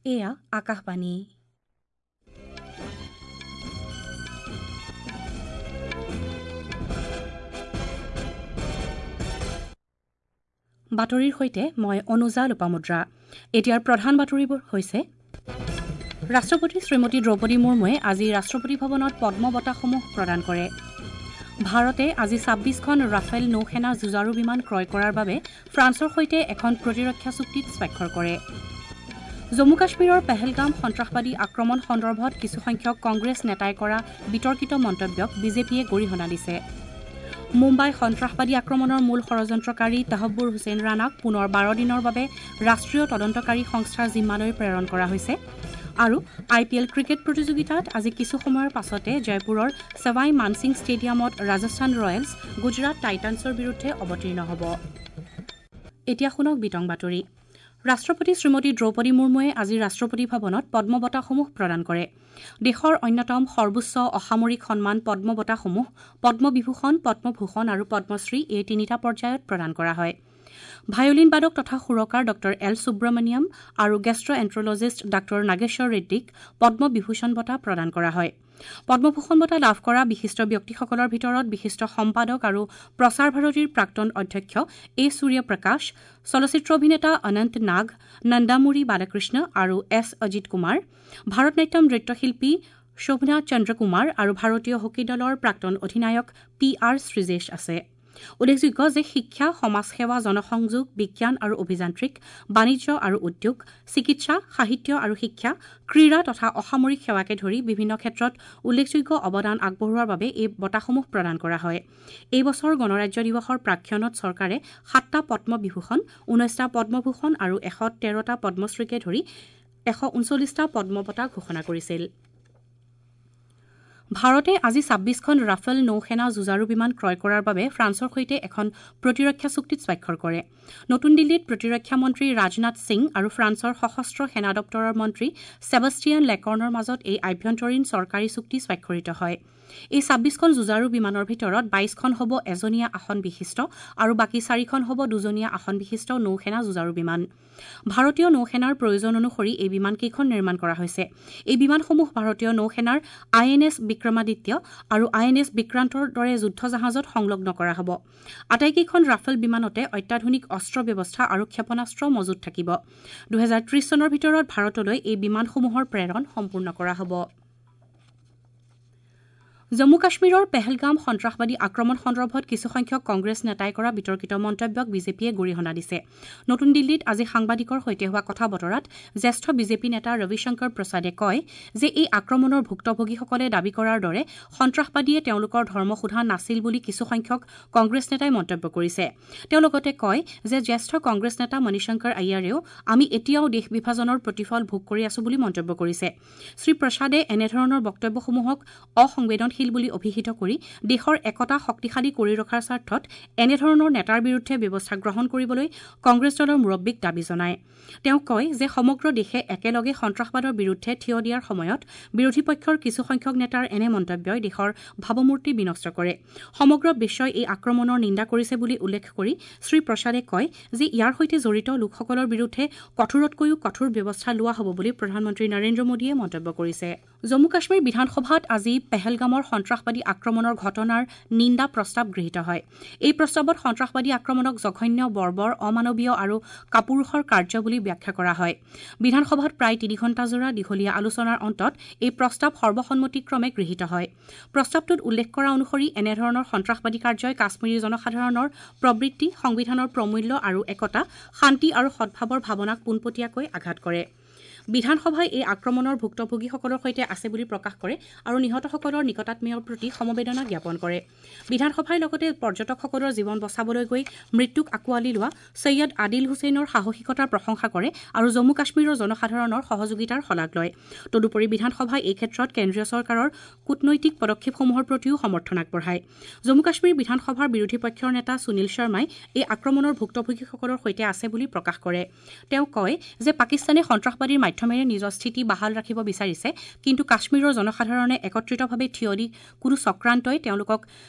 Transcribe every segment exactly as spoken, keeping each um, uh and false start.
এয়া আকাশবাণী। বাতৰিৰ সৈতে মই অনুজা লোপামুদ্ৰা। এতিয়াৰ প্ৰধান বাতৰিবোৰ হৈছে: ৰাষ্ট্ৰপতি শ্ৰীমতী দ্ৰৌপদী মুৰ্মুৱে আজি ৰাষ্ট্ৰপতি ভৱনত পদ্ম বঁটাসমূহ প্ৰদান কৰে। ভাৰতে আজি ছাব্বিছখন ৰাফেল নৌসেনা যুঁজাৰু বিমান ক্ৰয় কৰাৰ বাবে ফ্ৰান্সৰ সৈতে এখন প্ৰতিৰক্ষা চুক্তিত স্বাক্ষৰ কৰে। জম্মু কাশ্মীৰৰ পেহেলগাম সন্ত্ৰাসবাদী আক্ৰমণ সন্দৰ্ভত কিছুসংখ্যক কংগ্ৰেছ নেতাই কৰা বিতৰ্কিত মন্তব্যক বিজেপিয়ে গৰিহণা দিছে। মুম্বাই সন্ত্ৰাসবাদী আক্ৰমণৰ মূল ষড়যন্ত্ৰকাৰী তাহব্বুৰ হুছেইন ৰাণাক পুনৰ বাৰ দিনৰ বাবে ৰাষ্ট্ৰীয় তদন্তকাৰী সংস্থাৰ জিম্মালৈ প্ৰেৰণ কৰা হৈছে। আৰু আই পি এল ক্ৰিকেট প্ৰতিযোগিতাত আজি কিছু সময়ৰ পাছতে জয়পুৰৰ ছৱাই মানসিং ষ্টেডিয়ামত ৰাজস্থান ৰয়েলছ গুজৰাট টাইটানছৰ বিৰুদ্ধে অৱতীৰ্ণ হ'ব। এতিয়া শুনক বিতং বাতৰি। ৰাষ্ট্ৰপতি শ্ৰীমতী দ্ৰৌপদী মুৰ্মুৱে আজি ৰাষ্ট্ৰপতি ভৱনত পদ্ম বঁটাসমূহ প্ৰদান কৰে। দেশৰ অন্যতম সৰ্বোচ্চ অসামৰিক সন্মান পদ্ম বঁটাসমূহ পদ্মবিভূষণ, পদ্মভূষণ আৰু পদ্মশ্ৰী এই তিনিটা পৰ্যায়ত প্ৰদান কৰা হয়। ভায়োলিন বাদক তথা সুৰকাৰ ডঃ এল সুব্ৰমণিয়াম আৰু গেষ্ট্ৰএণ্ট্ৰলজিষ্ট ডাঃ নাগেশ্বৰ ৰেড্ডীক পদ্মবিভূষণ বঁটা প্ৰদান কৰা হয়। পদ্মভূষণ বঁটা লাভ কৰা বিশিষ্ট ব্যক্তিসকলৰ ভিতৰত বিশিষ্ট সম্পাদক আৰু প্ৰসাৰ ভাৰতীৰ প্ৰাক্তন অধ্যক্ষ এ সূৰ্যপ্ৰকাশ, চলচ্চিত্ৰ অভিনেতা অনন্ত নাগ, নন্দামুৰী বালাকৃষ্ণ আৰু এছ অজিত কুমাৰ, ভাৰতনাট্যম নৃত্যশিল্পী শোভনা চন্দ্ৰকুমাৰ আৰু ভাৰতীয় হকী দলৰ প্ৰাক্তন অধিনায়ক পি আৰ শ্ৰীজেশ আছে। উল্লেখযোগ্য যে শিক্ষা, সমাজসেৱা, জনসংযোগ, বিজ্ঞান আৰু অভিযান্ত্ৰিক, বাণিজ্য আৰু উদ্যোগ, চিকিৎসা, সাহিত্য আৰু শিক্ষা, ক্ৰীড়া তথা অসামৰিক সেৱাকে ধৰি বিভিন্ন ক্ষেত্ৰত উল্লেখযোগ্য অৱদান আগবঢ়োৱাৰ বাবে এই বঁটাসমূহ প্ৰদান কৰা হয়। এই বছৰ গণৰাজ্য দিৱসৰ প্ৰাকক্ষণত চৰকাৰে সাতটা পদ্মবিভূষণ, ঊনৈছটা পদ্মভূষণ আৰু এশ তেৰটা পদ্মশ্ৰীকে ধৰি এশ ঊনচল্লিছটা পদ্ম বঁটা ঘোষণা কৰিছিল। ভাৰতে আজি ছাব্বিছখন ৰাফেল নৌসেনা যুঁজাৰু বিমান ক্ৰয় কৰাৰ বাবে ফ্ৰান্সৰ সৈতে এখন প্ৰতিৰক্ষা চুক্তিত স্বাক্ষৰ কৰে। নতুন দিল্লীত প্ৰতিৰক্ষা মন্ত্ৰী ৰাজনাথ সিং আৰু ফ্ৰান্সৰ সশস্ত্ৰ সেনা দপ্তৰৰ মন্ত্ৰী ছেবাষ্টিয়ান লেকৰ্ণৰ মাজত এই আভ্যন্তৰীণ চৰকাৰী চুক্তি স্বাক্ষৰিত হয়। এই ছাব্বিছখন যুঁজাৰু বিমানৰ ভিতৰত বাইছখন হ'ব এজনীয়া আসন বিশিষ্ট আৰু বাকী চাৰিখন হ'ব দুজনীয়া আসন বিশিষ্ট নৌসেনা যুঁজাৰু বিমান। ভাৰতীয় নৌসেনাৰ প্ৰয়োজন অনুসৰি এই বিমানকেইখন নিৰ্মাণ কৰা হৈছে। এই বিমানসমূহ ভাৰতীয় নৌসেনাৰ আই এন এছ বিক্ৰমাদিত্য আৰু আই এন এছ বিক্ৰান্তৰ দৰে যুদ্ধজাহাজত সংলগ্ন কৰা হ'ব। আটাইকেইখন ৰাফেল বিমানতে অত্যাধুনিক অস্ত্ৰ ব্যৱস্থা আৰু ক্ষেপণাস্ত্ৰ মজুত থাকিব। দুহেজাৰ ত্ৰিছ চনৰ ভিতৰত ভাৰতলৈ এই বিমানসমূহৰ প্ৰেৰণ সম্পূৰ্ণ কৰা হ'ব। জম্মু কাশ্মীৰৰ পেহেলগাম সন্ত্ৰাসবাদী আক্ৰমণ সন্দৰ্ভত কিছুসংখ্যক কংগ্ৰেছ নেতাই কৰা বিতৰ্কিত মন্তব্যক বিজেপিয়ে গৰিহণা দিছে। নতুন দিল্লীত আজি সাংবাদিকৰ সৈতে হোৱা কথা বতৰাত জ্যেষ্ঠ বিজেপি নেতা ৰবিশংকৰ প্ৰসাদে কয় যে এই আক্ৰমণৰ ভুক্তভোগীসকলে দাবী কৰাৰ দৰে সন্ত্ৰাসবাদীয়ে তেওঁলোকৰ ধৰ্ম সোধা নাছিল বুলি কিছুসংখ্যক কংগ্ৰেছ নেতাই মন্তব্য কৰিছে। তেওঁ লগতে কয় যে জ্যেষ্ঠ কংগ্ৰেছ নেতা মণিশংকৰ আয়াৰেও আমি এতিয়াও দেশ বিভাজনৰ প্ৰতিফল ভোগ কৰি আছো বুলি মন্তব্য কৰিছে। শ্ৰীপ্ৰসাদে এনেধৰণৰ বক্তব্যসমূহক অসংবেদনশীল বুলি অভিহিত কৰি দেশৰ একতা শক্তিশালী কৰি ৰখাৰ স্বাৰ্থত এনেধৰণৰ নেতাৰ বিৰুদ্ধে ব্যৱস্থা গ্ৰহণ কৰিবলৈ কংগ্ৰেছ দলৰ মুৰব্বীক দাবী জনায়। তেওঁ কয় যে সমগ্ৰ দেশে একেলগে সন্ত্ৰাসবাদৰ বিৰুদ্ধে থিয় দিয়াৰ সময়ত বিৰোধী পক্ষৰ কিছুসংখ্যক নেতাৰ এনে মন্তব্যই দেশৰ ভাৱমূৰ্তি বিনষ্ট কৰে। সমগ্ৰ বিশ্বই এই আক্ৰমণৰ নিন্দা কৰিছে বুলি উল্লেখ কৰি শ্ৰীপ্ৰসাদে কয় যে ইয়াৰ সৈতে জড়িত লোকসকলৰ বিৰুদ্ধে কঠোৰতকৈও কঠোৰ ব্যৱস্থা লোৱা হ'ব বুলি প্ৰধানমন্ত্ৰী নৰেন্দ্ৰ মোদীয়ে মন্তব্য কৰিছে। জম্মু কাশ্মীৰ বিধানসভাত আজি পেহেলগামৰ সন্ত্ৰাসবাদী আক্ৰমণৰ ঘটনাৰ নিন্দা প্ৰস্তাৱ গৃহীত হয়। এই প্ৰস্তাৱত সন্ত্ৰাসবাদী আক্ৰমণক জঘন্য, বৰ্বৰ, অমানৱীয় আৰু কাপুৰুষৰ কাৰ্য বুলি ব্যাখ্যা কৰা হয়। বিধানসভাত প্ৰায় তিনি ঘণ্টাজোৰা দীঘলীয়া আলোচনাৰ অন্তত এই প্ৰস্তাৱ সৰ্বসন্মতিক্ৰমে গৃহীত হয়। প্ৰস্তাৱটোত উল্লেখ কৰা অনুসৰি এনেধৰণৰ সন্ত্ৰাসবাদী কাৰ্যই কাশ্মীৰী জনসাধাৰণৰ প্ৰবৃত্তি, সংবিধানৰ প্ৰমূল্য আৰু একতা, শান্তি আৰু সদ্ভাৱৰ ভাৱনাক পোনপটীয়াকৈ আঘাত কৰে। বিধানসভাই এই আক্ৰমণৰ ভুক্তভোগীসকলৰ সৈতে আছে বুলি প্ৰকাশ কৰে আৰু নিহতসকলৰ নিকটাত্মীয়ৰ প্ৰতি সমবেদনা জ্ঞাপন কৰে। বিধানসভাই লগতে পৰ্যটকসকলৰ জীৱন বচাবলৈ গৈ মৃত্যুক আঁকোৱালি লোৱা ছৈয়দ আদিল হুছেইনৰ সাহসিকতাৰ প্ৰশংসা কৰে আৰু জম্মু কাশ্মীৰৰ জনসাধাৰণৰ সহযোগিতাৰ শলাগ লয়। তদুপৰি বিধানসভাই এই ক্ষেত্ৰত কেন্দ্ৰীয় চৰকাৰৰ কূটনৈতিক পদক্ষেপসমূহৰ প্ৰতিও সমৰ্থন আগবঢ়ায়। জম্মু কাশ্মীৰ বিধানসভাৰ বিৰোধী পক্ষৰ নেতা সুনীল শৰ্মাই এই আক্ৰমণৰ ভুক্তভোগীসকলৰ সৈতে আছে বুলি প্ৰকাশ কৰে। তেওঁ কয় যে পাকিস্তানে সন্ত্ৰাসবাদীৰ মাধ্যমেৰে নিজৰ স্থিতি বাহাল ৰাখিব বিচাৰিছে, কিন্তু কাশ্মীৰৰ জনসাধাৰণে একত্ৰিতভাৱে থিয় দি কোনো চক্ৰান্তই তেওঁলোকক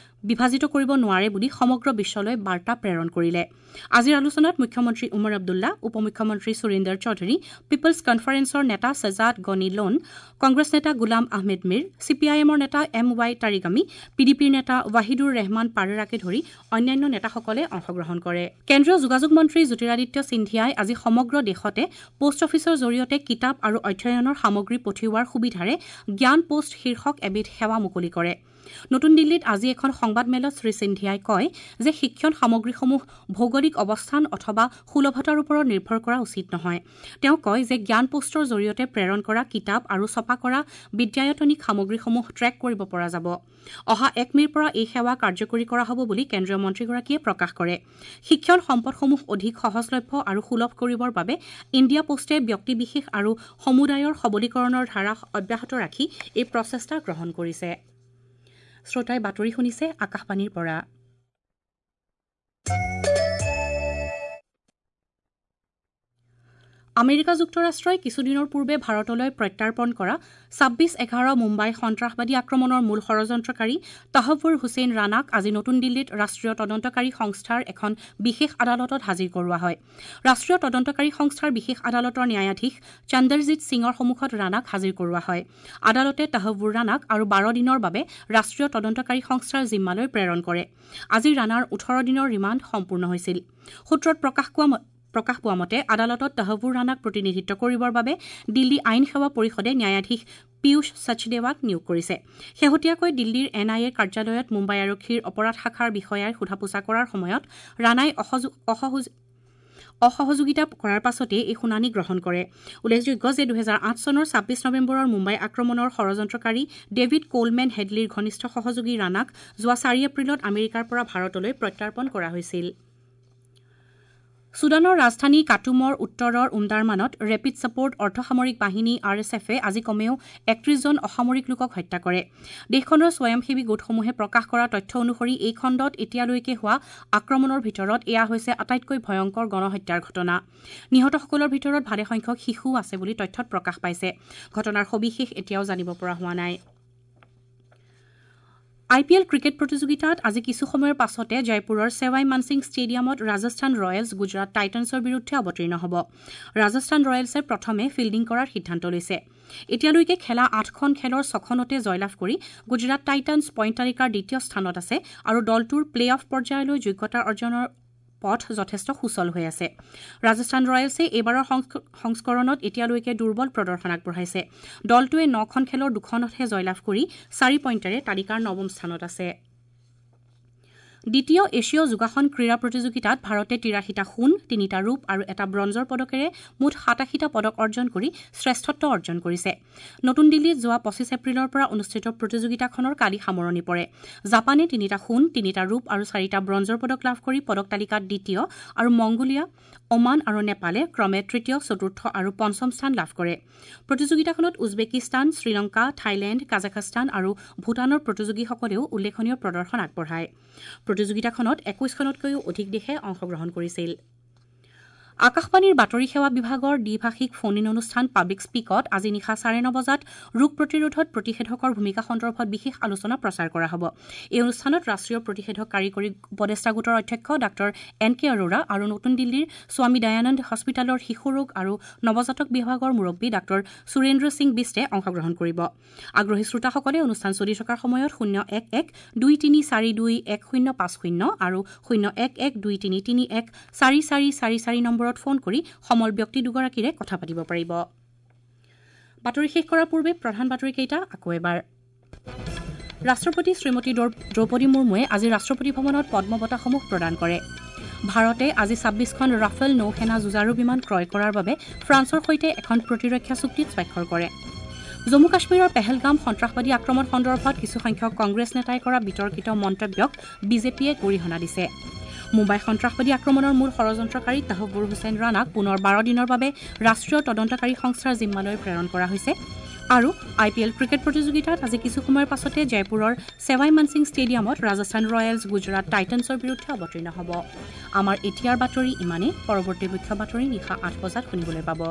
বিভাজিত কৰিব নোৱাৰে বুলি সমগ্ৰ বিশ্বলৈ বাৰ্তা প্ৰেৰণ কৰিলে। আজিৰ আলোচনাত মুখ্যমন্ত্ৰী উমৰ আব্দুল্লা, উপ মুখ্যমন্ত্ৰী সুৰিন্দৰ চৌধুৰী, পিপলছ কনফাৰেন্সৰ নেতা সজাদ গনি লোন, কংগ্ৰেছ নেতা গুলাম আহমেদ মিৰ, চি পি আই এমৰ নেতা এম ৱাই তাৰিগামী, পি ডি পিৰ নেতা ৱাহিদুৰ ৰেহমান পাৰেৰাকে ধৰি অন্যান্য নেতাসকলে অংশগ্ৰহণ কৰে। কেন্দ্ৰীয় যোগাযোগ মন্ত্ৰী জ্যোতিৰাদিত্য সিন্ধিয়াই আজি সমগ্ৰ দেশতে পোষ্ট অফিচৰ জৰিয়তে কিতাপ আৰু অধ্যয়নৰ সামগ্ৰী পঠিওৱাৰ সুবিধাৰে জ্ঞান পোষ্ট শীৰ্ষক এবিধ সেৱা মুকলি কৰে। নতুন দিল্লীত আজি এখন সংবাদমেলত শ্ৰী সিন্ধিয়াই কয় যে শিক্ষণ সামগ্ৰীসমূহ ভৌগোলিক অৱস্থান অথবা সুলভতাৰ ওপৰত নিৰ্ভৰ কৰা উচিত নহয়। তেওঁ কয় যে জ্ঞান পোষ্টৰ জৰিয়তে প্ৰেৰণ কৰা কিতাপ আৰু ছপা কৰা বিদ্যায়তনিক সামগ্ৰীসমূহ ট্ৰেক কৰিব পৰা যাব। অহা এক মে'ৰ পৰা এই সেৱা কাৰ্যকৰী কৰা হ'ব বুলি কেন্দ্ৰীয় মন্ত্ৰীগৰাকীয়ে প্ৰকাশ কৰে। শিক্ষণ সম্পদসমূহ অধিক সহজলভ্য আৰু সুলভ কৰিবৰ বাবে ইণ্ডিয়া পোষ্টে ব্যক্তিবিশেষ আৰু সমুদায়ৰ সবলীকৰণৰ ধাৰা অব্যাহত ৰাখি এই প্ৰচেষ্টা গ্ৰহণ কৰিছে। শ্ৰোতাই বাতৰি শুনিছে আকাশবাণীৰ পৰা। আমেৰিকা যুক্তৰাষ্ট্ৰই কিছুদিনৰ পূৰ্বে ভাৰতলৈ প্ৰত্যাৰ্পণ কৰা ছাব্বিছ এঘাৰ মুম্বাই সন্ত্ৰাসবাদী আক্ৰমণৰ মূল ষড়যন্ত্ৰকাৰী তাহবুৰ হুছেইন ৰাণাক আজি নতুন দিল্লীত ৰাষ্ট্ৰীয় তদন্তকাৰী সংস্থাৰ এখন বিশেষ আদালতত হাজিৰ কৰোৱা হয়। ৰাষ্ট্ৰীয় তদন্তকাৰী সংস্থাৰ বিশেষ আদালতৰ ন্যায়াধীশ চন্দৰজিৎ সিঙৰ সন্মুখত ৰাণাক হাজিৰ কৰোৱা হয়। আদালতে তাহবুৰ ৰাণাক আৰু বাৰ দিনৰ বাবে ৰাষ্ট্ৰীয় তদন্তকাৰী সংস্থাৰ জিম্মালৈ প্ৰেৰণ কৰে। আজি ৰাণাৰ ওঠৰ দিনৰ ৰিমাণ্ড সম্পূৰ্ণ হৈছিল। সূত্ৰত প্ৰকাশ পোৱা প্ৰকাশ পোৱা মতে আদালতত তাহবুৰ ৰাণাক প্ৰতিনিধিত্ব কৰিবৰ বাবে দিল্লী আইন সেৱা পৰিষদে ন্যায়াধীশ পীয়ুষ সচদেৱাক নিয়োগ কৰিছে। শেহতীয়াকৈ দিল্লীৰ এন আই এ কাৰ্যালয়ত মুম্বাই আৰক্ষীৰ অপৰাধ শাখাৰ বিষয়াই সোধা পোছা কৰাৰ সময়ত ৰাণাই অসহযোগিতা কৰাৰ পাছতেই এই শুনানি গ্ৰহণ কৰে। উল্লেখযোগ্য যে দুহেজাৰ আঠ চনৰ ছাব্বিছ নৱেম্বৰৰ মুম্বাই আক্ৰমণৰ ষড়যন্ত্ৰকাৰী ডেভিড কোলমেন হেডলিৰ ঘনিষ্ঠ সহযোগী ৰাণাক যোৱা চাৰি এপ্ৰিলত আমেৰিকাৰ পৰা ভাৰতলৈ প্ৰত্যাৰ্পণ কৰা হৈছিল। ছুডানৰ ৰাজধানী কাটুমৰ উত্তৰৰ উমদাৰমানত ৰেপিড ছাপোৰ্ট অৰ্ধসামৰিক বাহিনী আৰ এছ এফে আজি কমেও একত্ৰিশজন অসামৰিক লোকক হত্যা কৰে। দেশখনৰ স্বয়ংসেৱী গোটসমূহে প্ৰকাশ কৰা তথ্য অনুসৰি এই খণ্ডত এতিয়ালৈকে হোৱা আক্ৰমণৰ ভিতৰত এয়া হৈছে আটাইতকৈ ভয়ংকৰ গণহত্যাৰ ঘটনা। নিহতসকলৰ ভিতৰত ভালেসংখ্যক শিশুও আছে বুলি তথ্যত প্ৰকাশ পাইছে। ঘটনাৰ সবিশেষ এতিয়াও জানিব পৰা হোৱা নাই। আই পি এল ক্ৰিকেট প্ৰতিযোগিতাত আজি কিছু সময়ৰ পাছতে জয়পুৰৰ ছেৱাই মানসিং ষ্টেডিয়ামত ৰাজস্থান ৰয়েলছ গুজৰাট টাইটানছৰ বিৰুদ্ধে অৱতীৰ্ণ হ'ব। ৰাজস্থান ৰয়েলছে প্ৰথমে ফিল্ডিং কৰাৰ সিদ্ধান্ত লৈছে। এতিয়ালৈকে খেলা আঠখন খেলৰ ছখনতে জয়লাভ কৰি গুজৰাট টাইটানছ পইণ্ট তালিকাৰ দ্বিতীয় স্থানত আছে আৰু দলটোৰ প্লে অফ পৰ্যায়লৈ যোগ্যতা অৰ্জনৰ পথ যথেষ্ট সুচল হৈ আছে। ৰাজস্থান ৰয়েলছে এইবাৰৰ সংস্কৰণত এতিয়ালৈকে দুৰ্বল প্ৰদৰ্শন আগবঢ়াইছে। দলটোৱে নখন খেলৰ দুখনতহে জয়লাভ কৰি চাৰি পইণ্টেৰে তালিকাৰ নৱম স্থানত আছে। দ্বিতীয় এছীয় যোগাসন ক্ৰীড়া প্ৰতিযোগিতাত ভাৰতে তিৰাশীটা সোণ, তিনিটা ৰূপ আৰু এটা ব্ৰঞ্জৰ পদকেৰে মুঠ সাতাশীটা পদক অৰ্জন কৰি শ্ৰেষ্ঠত্ব অৰ্জন কৰিছে। নতুন দিল্লীত যোৱা পঁচিছ এপ্ৰিলৰ পৰা অনুষ্ঠিত প্ৰতিযোগিতাখনৰ কালি সামৰণি পৰে। জাপানে তিনিটা সোণ, তিনিটা ৰূপ আৰু চাৰিটা ব্ৰঞ্জৰ পদক লাভ কৰি পদক তালিকাত দ্বিতীয় আৰু মংগোলিয়া, ওমান আৰু নেপালে ক্ৰমে তৃতীয়, চতুৰ্থ আৰু পঞ্চম স্থান লাভ কৰে। প্ৰতিযোগিতাখনত উজবেকিস্তান, শ্ৰীলংকা, থাইলেণ্ড, কাজাখস্তান আৰু ভূটানৰ প্ৰতিযোগীসকলেও উল্লেখনীয় প্ৰদৰ্শন আগবঢ়ায়। প্ৰতিযোগিতাখনত একৈশখনতকৈও অধিক দেশে অংশগ্ৰহণ কৰিছিল। আকাশবাণীৰ বাতৰি সেৱা বিভাগৰ দ্বিভাষিক ফোন ইন অনুষ্ঠান পাব্লিক স্পীকত আজি নিশা চাৰে ন বজাত ৰোগ প্ৰতিৰোধত প্ৰতিষেধকৰ ভূমিকা সন্দৰ্ভত বিশেষ আলোচনা প্ৰচাৰ কৰা হ'ব। এই অনুষ্ঠানত ৰাষ্ট্ৰীয় প্ৰতিষেধক কাৰিকৰী উপদেষ্টা গোটৰ অধ্যক্ষ ডাঃ এন কে অৰোৰা আৰু নতুন দিল্লীৰ স্বামী দয়ানন্দ হস্পিটেলৰ শিশু ৰোগ আৰু নৱজাতক বিভাগৰ মুৰব্বী ডাঃ সুৰেন্দ্ৰ সিং বিষ্টে অংশগ্ৰহণ কৰিব। আগ্ৰহী শ্ৰোতাসকলে অনুষ্ঠান চলি থকাৰ সময়ত শূন্য এক এক দুই তিনি চাৰি দুই এক শূন্য পাঁচ শূন্য আৰু শূন্য এক এক দুই তিনি তিনি এক চাৰি চাৰি চাৰি চাৰি নম্বৰত ফোন কৰি সমল ব্যক্তি দুগৰাকীৰে কথা পাতিব পাৰিব। বাতৰি শেষ কৰাৰ পূৰ্বে প্ৰধান বাতৰিকেইটা আকৌ এবাৰ। ৰাষ্ট্ৰপতি শ্ৰীমতী দ্ৰৌপদী মুৰ্মুৱে আজি ৰাষ্ট্ৰপতি ভৱনত পদ্ম বঁটাসমূহ প্ৰদান কৰে। ভাৰতে আজি ছাব্বিছখন ৰাফেল নৌসেনা যুঁজাৰু বিমান ক্ৰয় কৰাৰ বাবে ফ্ৰান্সৰ সৈতে এখন প্ৰতিৰক্ষা চুক্তিত স্বাক্ষৰ কৰে। জম্মু কাশ্মীৰৰ পেহেলগাম সন্ত্ৰাসবাদী আক্ৰমণ সন্দৰ্ভত কিছুসংখ্যক কংগ্ৰেছ নেতাই কৰা বিতৰ্কিত মন্তব্যক বিজেপিয়ে গৰিহণা দিছে। মুম্বাই সন্ত্ৰাসবাদী আক্ৰমণৰ মূল ষড়যন্ত্ৰকাৰী তাহবুৰ হুছেইন ৰাণাক পুনৰ বাৰ দিনৰ বাবে ৰাষ্ট্ৰীয় তদন্তকাৰী সংস্থাৰ জিম্মালৈ প্ৰেৰণ কৰা হৈছে। আৰু আই পি এল ক্ৰিকেট প্ৰতিযোগিতাত আজি কিছু সময়ৰ পাছতে জয়পুৰৰ ছেৱাই মানসিং ষ্টেডিয়ামত ৰাজস্থান ৰয়েলছ গুজৰাট টাইটানছৰ বিৰুদ্ধে অৱতীৰ্ণ হ'ব। আমাৰ এতিয়াৰ বাতৰি ইমানেই। পৰৱৰ্তী মুখ্য বাতৰি নিশা আঠ বজাত শুনিবলৈ পাব।